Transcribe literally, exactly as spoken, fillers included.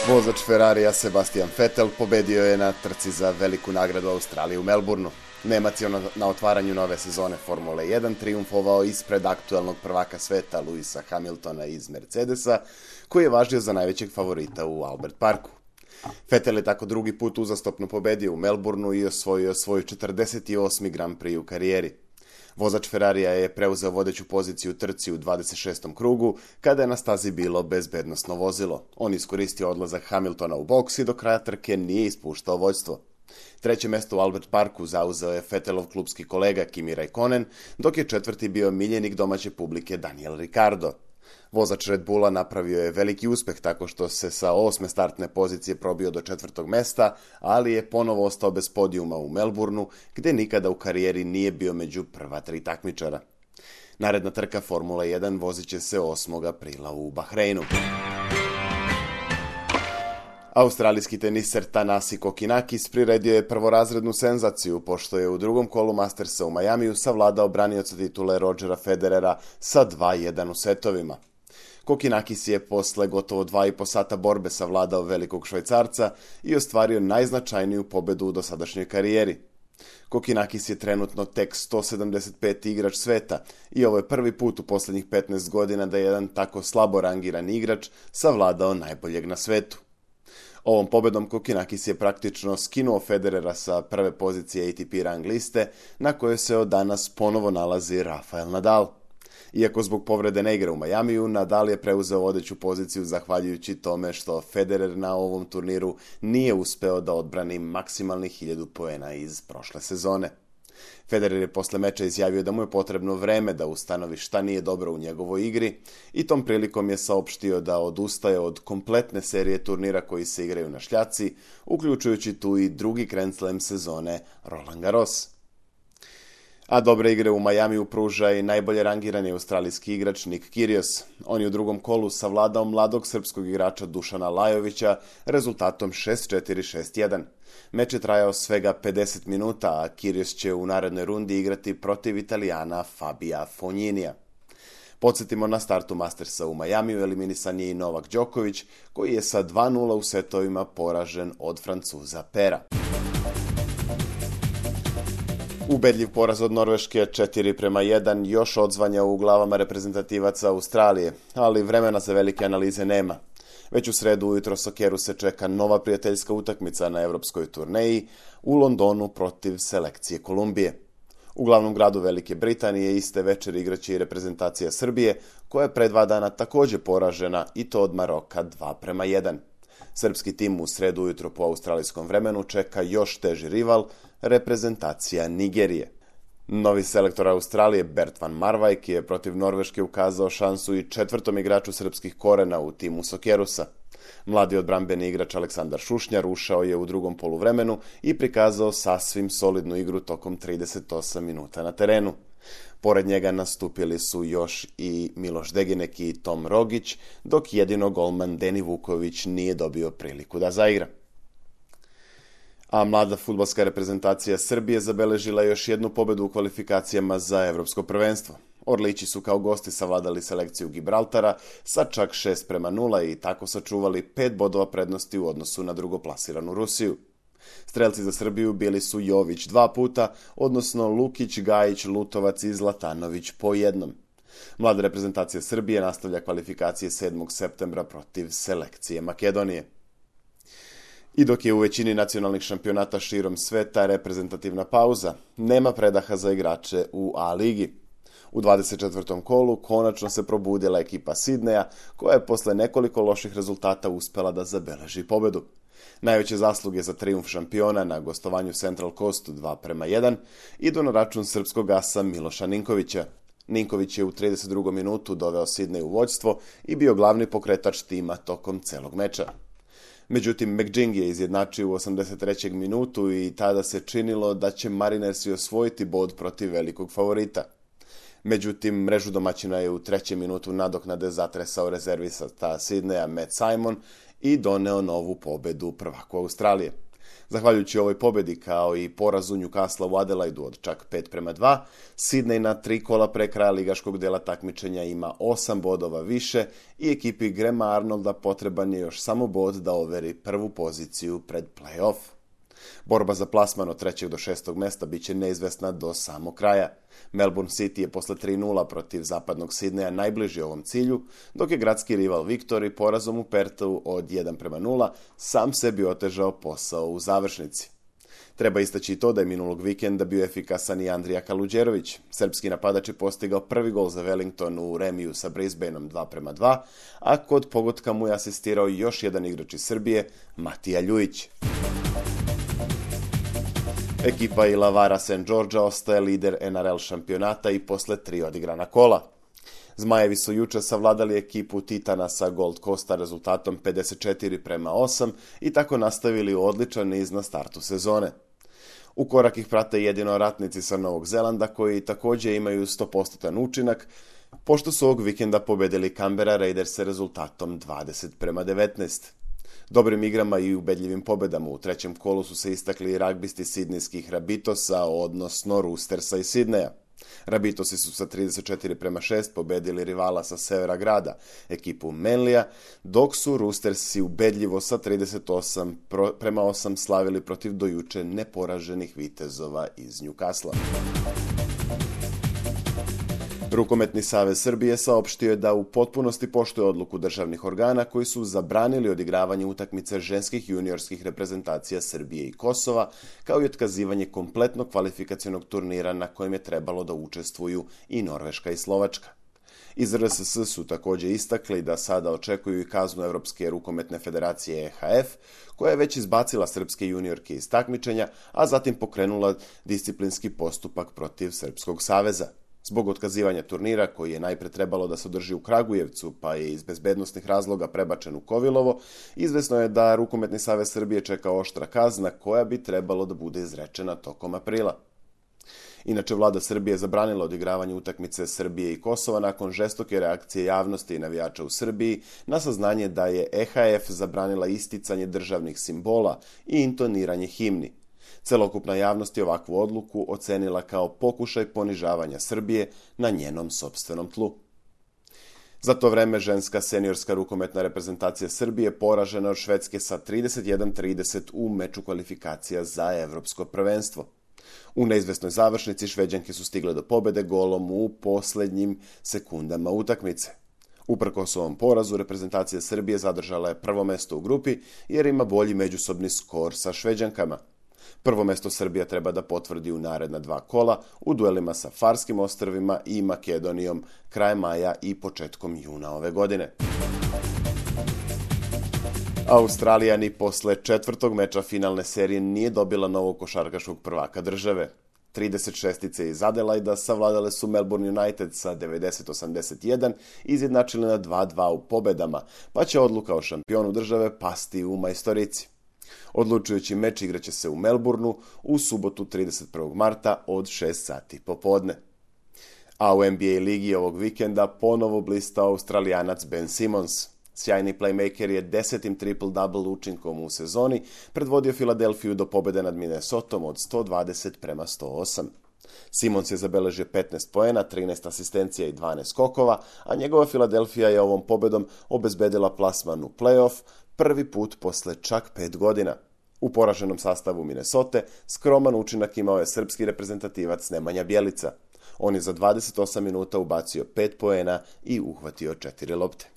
Vozač Ferrarija Sebastian Vettel pobedio je na trci za veliku nagradu Australije u Melbourneu. Nemac je na otvaranju nove sezone Formule jedan trijumfovao ispred aktuelnog prvaka sveta Lewisa Hamiltona iz Mercedesa, koji je važio za najvećeg favorita u Albert Parku. Vettel je tako drugi put uzastopno pobedio u Melbourneu i osvojio svoj četrdeset osmi Grand Prix u karijeri. Vozač Ferrarija je preuzeo vodeću poziciju u trci u dvadeset šestom krugu, kada je na stazi bilo bezbednosno vozilo. On iskoristio odlazak Hamiltona u boks i do kraja trke nije ispuštao vođstvo. Treće mesto u Albert Parku zauzeo je Vettelov klupski kolega Kimi Räikkönen, dok je četvrti bio miljenik domaće publike Daniel Ricciardo. Vozač Red Bulla napravio je veliki uspeh tako što se sa osme startne pozicije probio do četvrtog mesta, ali je ponovo ostao bez podijuma u Melbourneu, gdje nikada u karijeri nije bio među prva tri takmičara. Naredna trka Formula jedan vozit će se osmog aprila u Bahreinu. Australijski teniser Thanasi Kokkinakis priredio je prvorazrednu senzaciju, pošto je u drugom kolu Mastersa u Majamiju savladao branioca titule Rogera Federera sa dva jedan u setovima. Kokkinakis je posle gotovo dva i po sata borbe savladao velikog Švajcarca i ostvario najznačajniju pobedu u dosadašnjoj karijeri. Kokkinakis je trenutno tek sto sedamdeset peti igrač sveta i ovo je prvi put u posljednjih petnaest godina da je jedan tako slabo rangiran igrač savladao najboljeg na svetu. Ovom pobedom Kokkinakis je praktično skinuo Federera sa prve pozicije A T P rang liste, na kojoj se od danas ponovo nalazi Rafael Nadal. Iako zbog povrede ne igra u Majamiju, Nadal je preuzeo vodeću poziciju zahvaljujući tome što Federer na ovom turniru nije uspeo da odbrani maksimalnih hiljadu poena iz prošle sezone. Federer je posle meča izjavio da mu je potrebno vreme da ustanovi šta nije dobro u njegovoj igri i tom prilikom je saopštio da odustaje od kompletne serije turnira koji se igraju na šljaci, uključujući tu i drugi Grand Slam sezone Roland Garros. A dobre igre u Majamiju pruža i najbolje rangirani australijski igrač Nick Kyrgios. On je u drugom kolu savladao mladog srpskog igrača Dušana Lajovića rezultatom šest četiri šest jedan. Meč je trajao svega pedeset minuta, a Kyrgios će u narednoj rundi igrati protiv Italijana Fabija Fogninija. Podsjetimo, na startu Mastersa u Majamiju eliminisan je i Novak Đoković, koji je sa dva nula u setovima poražen od Francuza Pera. Ubedljiv poraz od Norveške četiri prema jedan još odzvanja u glavama reprezentativaca Australije, ali vremena za velike analize nema. Već u sredu ujutro Sokeru se čeka nova prijateljska utakmica na evropskoj turneji u Londonu protiv selekcije Kolumbije. U glavnom gradu Velike Britanije iste večer igraće i reprezentacija Srbije, koja je pre dva dana također poražena i to od Maroka dva prema jedan. Srpski tim u sredu ujutro po australijskom vremenu čeka još teži rival, reprezentacija Nigerije. Novi selektor Australije Bert van Marwijk je protiv Norveške ukazao šansu i četvrtom igraču srpskih korena u timu Sokerusa. Mladi odbrambeni igrač Aleksandar Šušnjar ušao je u drugom poluvremenu i prikazao sasvim solidnu igru tokom trideset osam minuta na terenu. Pored njega nastupili su još i Miloš Degenek i Tom Rogić, dok jedino golman Deni Vuković nije dobio priliku da zaigra. A mlada fudbalska reprezentacija Srbije zabeležila još jednu pobedu u kvalifikacijama za evropsko prvenstvo. Orlići su kao gosti savladali selekciju Gibraltara sa čak šest prema nula i tako sačuvali pet bodova prednosti u odnosu na drugoplasiranu Rusiju. Strelci za Srbiju bili su Jović dva puta, odnosno Lukić, Gajić, Lutovac i Zlatanović po jednom. Mlada reprezentacija Srbije nastavlja kvalifikacije sedmog septembra protiv selekcije Makedonije. I dok je u većini nacionalnih šampionata širom sveta reprezentativna pauza, nema predaha za igrače u A ligi. U dvadeset četvrtom kolu konačno se probudila ekipa Sidneja, koja je posle nekoliko loših rezultata uspela da zabeleži pobedu. Najveće zasluge za trijumf šampiona na gostovanju Central Coastu dva prema jedan idu na račun srpskog asa Miloša Ninkovića. Ninković je u trideset drugom minutu doveo Sidney u vođstvo i bio glavni pokretač tima tokom celog meča. Međutim, McGing je izjednačio u osamdeset trećem minutu i tada se činilo da će Marinersi osvojiti bod protiv velikog favorita. Međutim, mrežu domaćina je u trećem minutu nadoknade zatresao rezervista Sidneja Matt Simon i doneo novu pobedu prvaku Australije. Zahvaljujući ovoj pobjedi kao i porazu Newcastle u Adelaidu od čak pet prema dva, Sydney na tri kola pre kraja ligaškog dela takmičenja ima osam bodova više i ekipi Grahama Arnolda potreban je još samo bod da overi prvu poziciju pred play-off. Borba za plasman od trećeg do šestog mesta bit će neizvesna do samog kraja. Melbourne City je posle tri nula protiv zapadnog Sidneja najbliži ovom cilju, dok je gradski rival Victory porazom u Perthu od jedan prema nula sam sebi otežao posao u završnici. Treba istaći i to da je minulog vikenda bio efikasan i Andrija Kaluđerović. Srpski napadač je postigao prvi gol za Wellington u remiju sa Brisbaneom dva prema dva, a kod pogotka mu je asistirao još jedan igrač iz Srbije, Matija Ljujić. Ekipa Ilavara Saint Georgea ostaje lider N R L šampionata i posle tri odigrana kola. Zmajevi su juče savladali ekipu Titana sa Gold Coasta rezultatom pedeset četiri prema osam i tako nastavili odličan niz na startu sezone. U korak ih prate jedino ratnici sa Novog Zelanda koji također imaju sto posto učinak, pošto su ovog vikenda pobedili Canberra Raiders rezultatom dvadeset prema devetnaest. Dobrim igrama i ubedljivim pobedama u trećem kolu su se istakli ragbisti sidnijskih Rabitosa, odnosno Roostersa iz Sidneja. Rabitosi su sa trideset četiri prema šest pobedili rivala sa severa grada, ekipu Manlija, dok su Roostersi ubedljivo sa trideset osam prema osam slavili protiv dojuče neporaženih vitezova iz Newcastle. Rukometni savez Srbije saopštio je da u potpunosti poštuje odluku državnih organa koji su zabranili odigravanje utakmice ženskih juniorskih reprezentacija Srbije i Kosova, kao i otkazivanje kompletnog kvalifikacionog turnira na kojem je trebalo da učestvuju i Norveška i Slovačka. Iz R S S su također istakli da sada očekuju i kaznu Evropske rukometne federacije E H F, koja je već izbacila srpske juniorke iz takmičenja, a zatim pokrenula disciplinski postupak protiv Srpskog saveza. Zbog otkazivanja turnira, koji je najpre trebalo da se održi u Kragujevcu, pa je iz bezbednosnih razloga prebačen u Kovilovo, izvesno je da Rukometni savez Srbije čeka oštra kazna koja bi trebalo da bude izrečena tokom aprila. Inače, vlada Srbije je zabranila odigravanje utakmice Srbije i Kosova nakon žestoke reakcije javnosti i navijača u Srbiji na saznanje da je E H F zabranila isticanje državnih simbola i intoniranje himni. Celokupna javnost je ovakvu odluku ocenila kao pokušaj ponižavanja Srbije na njenom sopstvenom tlu. Za to vreme ženska seniorska rukometna reprezentacija Srbije poražena od Švedske sa trideset jedan trideset u meču kvalifikacija za evropsko prvenstvo. U neizvesnoj završnici Šveđanke su stigle do pobede golom u poslednjim sekundama utakmice. Uprkos ovom porazu, reprezentacija Srbije zadržala je prvo mesto u grupi jer ima bolji međusobni skor sa Šveđankama. Prvo mesto Srbija treba da potvrdi u naredna dva kola u duelima sa Farskim ostrvima i Makedonijom krajem maja i početkom juna ove godine. Australija ni posle četvrtog meča finalne serije nije dobila novog košarkaškog prvaka države. trideset šestice iz Adelaida savladale su Melbourne United sa devedeset osamdeset jedan i izjednačili na dva dva u pobedama, pa će odluka o šampionu države pasti u majstorici. Odlučujući meč igraće se u Melbourneu u subotu trideset prvog marta od šest sati popodne. A u N B A ligi ovog vikenda ponovo blista Australijanac Ben Simmons. Sjajni playmaker je desetim triple-double učinkom u sezoni predvodio Filadelfiju do pobjede nad Minnesotom od sto dvadeset prema sto osam. Simmons je zabeležio petnaest poena, trinaest asistencija i dvanaest skokova, a njegova Filadelfija je ovom pobedom obezbedila plasman u play-off prvi put posle čak pet godina. U poraženom sastavu Minnesote skroman učinak imao je srpski reprezentativac Nemanja Bjelica. On je za dvadeset osam minuta ubacio pet poena i uhvatio četiri lopte.